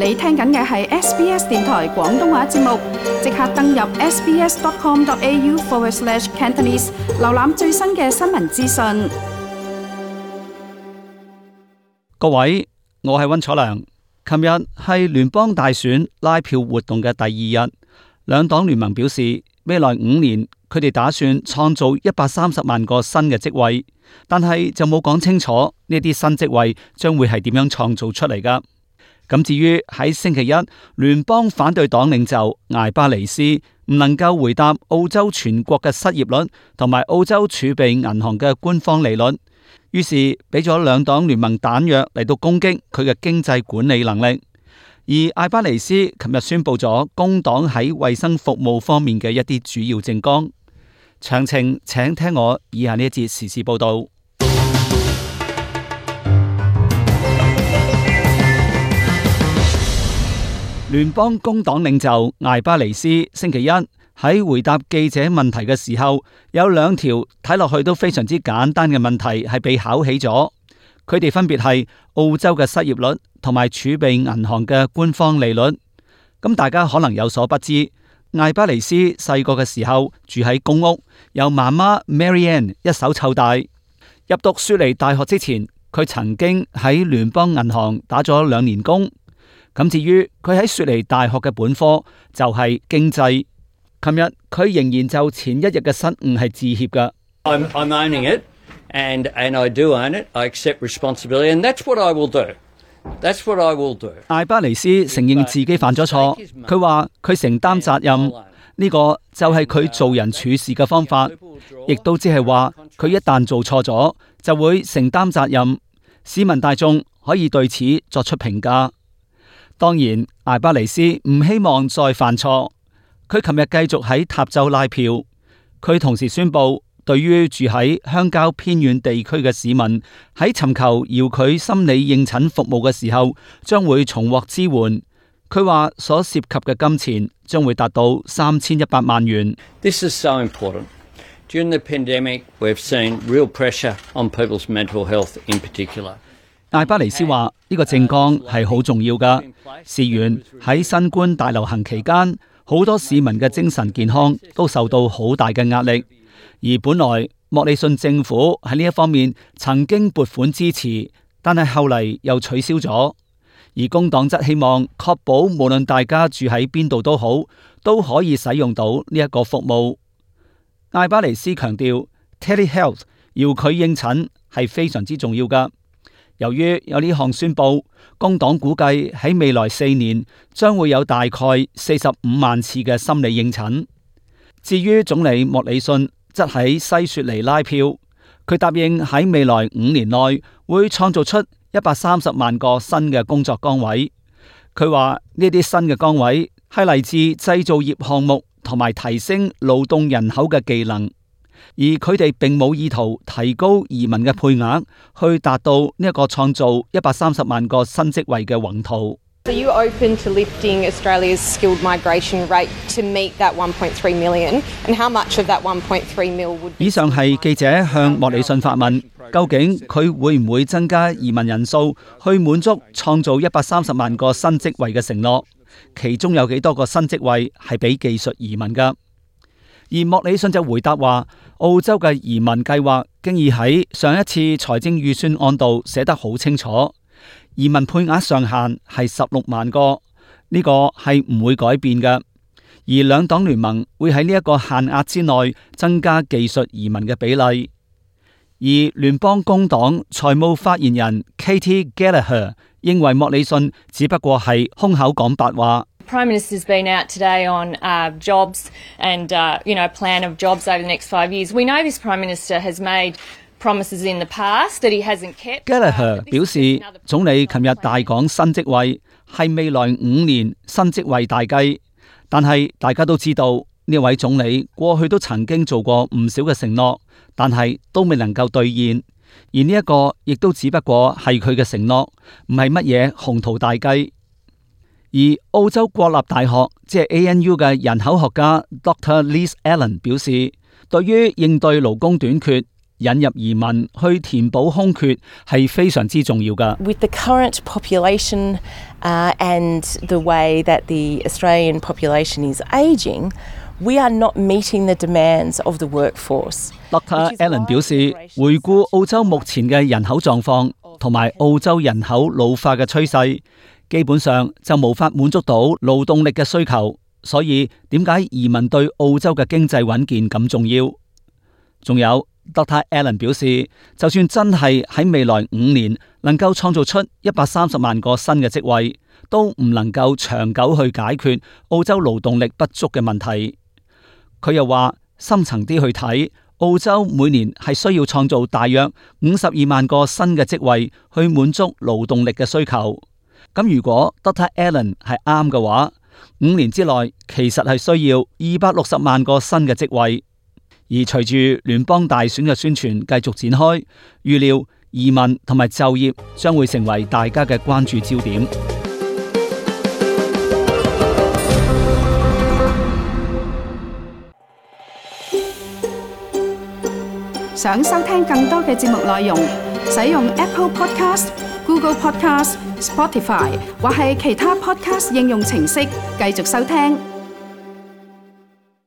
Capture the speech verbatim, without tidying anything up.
你聽緊嘅係 S B S 電台廣東話節目，即刻登入 sbs.com.au forward slash Cantonese， 瀏覽最新嘅新聞資訊。各位，我係溫楚良。琴日係聯邦大選拉票活動嘅第二日，兩黨聯盟表示，未來五年佢哋打算創造一百三十萬個新嘅職位，但係就冇講清楚呢啲新職位將會係點樣創造出嚟㗎。咁至於喺星期一，聯邦反對黨領袖艾巴尼斯唔能夠回答澳洲全國嘅失業率同埋澳洲儲備銀行嘅官方利率，於是俾咗兩黨聯盟彈藥嚟到攻擊佢嘅經濟管理能力。而艾巴尼斯琴日宣布咗工黨喺衛生服務方面嘅一啲主要政綱，詳情請聽我以下呢一節時事報道。聯邦工黨領袖艾巴尼斯星期一喺回答記者問題嘅時候，有兩條睇落去都非常之簡單嘅問題係被考起咗。佢哋分別係澳洲嘅失業率同埋儲備銀行嘅官方利率。咁大家可能有所不知，艾巴尼斯細個嘅時候住喺公屋，由媽媽 Marianne 一手湊大。入讀雪梨大學之前，佢曾經喺聯邦銀行打咗兩年工。咁至於佢喺雪梨大學嘅本科就係經濟。琴日佢仍然就前一日嘅失誤係致歉㗎。I'm, I'm owning it, and and I do own it. I accept responsibility, and that's what I will do. That's what I will do. 艾巴尼斯承認自己犯咗錯，佢話佢承擔責任，呢個就係佢做人處事嘅方法，亦都即係話佢一旦做錯咗就會承擔責任，市民大眾可以對此作出評價。當然，艾巴尼斯唔希望再犯錯。佢琴日繼續喺塔州拉票。佢同時宣布，對於住喺鄉郊偏遠地區嘅市民，喺尋求遙距心理應診服務嘅時候，將會重獲支援。佢話所涉及嘅金錢將會達到三千一百萬元。This is so important. During the pandemic, we've seen real pressure on people's mental health in particular. 艾巴尼斯話呢個政綱係好重要㗎。事緣喺新冠大流行期間，好多市民嘅精神健康都受到好大嘅壓力。而本來莫里遜政府喺呢一方面曾經撥款支持，但係後嚟又取消咗。而工黨則希望確保無論大家住喺邊度都好，都可以使用到呢一個服務。艾巴尼斯強調 ，telehealth 遙距應診係非常之重要㗎。由於有呢項宣佈，工黨估計喺未來四年將會有大概四十五萬次嘅心理應診。至於總理莫里遜則喺西雪梨拉票，佢答應喺未來五年內會創造出一百三十萬個新嘅工作崗位。佢話呢啲新嘅崗位係嚟自製造業項目同埋提升勞動人口嘅技能。而佢哋並冇意圖提高移民嘅配額，去達到呢一個創造一百三十萬個新職位嘅宏圖。Are you open to lifting Australia's skilled migration rate to meet that one point three million? And how much of that one point three million would be? 以上係記者向莫里遜發問，究竟佢會唔會增加移民人數，去滿足創造一百三十萬個新職位嘅承諾？其中有幾多個新職位係俾技術移民㗎？而莫里遜就回答話，澳洲嘅移民計劃經已喺上一次財政預算案度寫得好清楚，移民配額上限係十六萬個，呢個係唔會改變嘅。而兩黨聯盟會喺呢一個限額之內增加技術移民嘅比例。而聯邦工黨財務發言人 Katie Gallagher 認為莫里遜只不過係空口講白話。Prime Minister's been out today on uh, jobs and uh, you know, a plan of jobs over the next five years. We know this Prime Minister has made promises in the past that he hasn't kept. Gallagher 表示，總理琴日大講新職位，係未來五年新職位大計。但係大家都知道，呢位總理過去都曾經做過唔少嘅承諾，但係都未能夠兌現。而呢一個亦都只不過係佢嘅承諾，唔係乜嘢宏圖大計。而澳洲國立大學即係 A N U 嘅人口學家 Doctor Liz Allen 表示，對於應對勞工短缺，引入移民去填補空缺係非常之重要㗎。With the current population uh, and the way that the Australian population is ageing, we are not meeting the demands of the workforce。Doctor Allen 表示，回顧澳洲目前嘅人口狀況同埋澳洲人口老化嘅趨勢，基本上就無法滿足到勞動力嘅需求。所以點解移民對澳洲嘅經濟穩健咁重要？仲有 Doctor Allen 表示，就算真係喺未來五年能夠創造出一百三十萬個新嘅職位，都唔能夠長久去解決澳洲勞動力不足嘅問題。佢又話，深層啲去睇，澳洲每年係需要創造大約五十二萬個新嘅職位去滿足勞動力嘅需求。咁如果 Doctor Allen 係啱嘅話，五年之內其實係需要二百六十萬個新嘅職位。而隨住聯邦大選嘅宣傳繼續展開，預料移民同埋就業將會成為大家嘅關注焦點。想收聽更多嘅節目內容，使用 Apple Podcast、Google Podcast、Spotify 或係其他 Podcast 應用程式繼續收聽。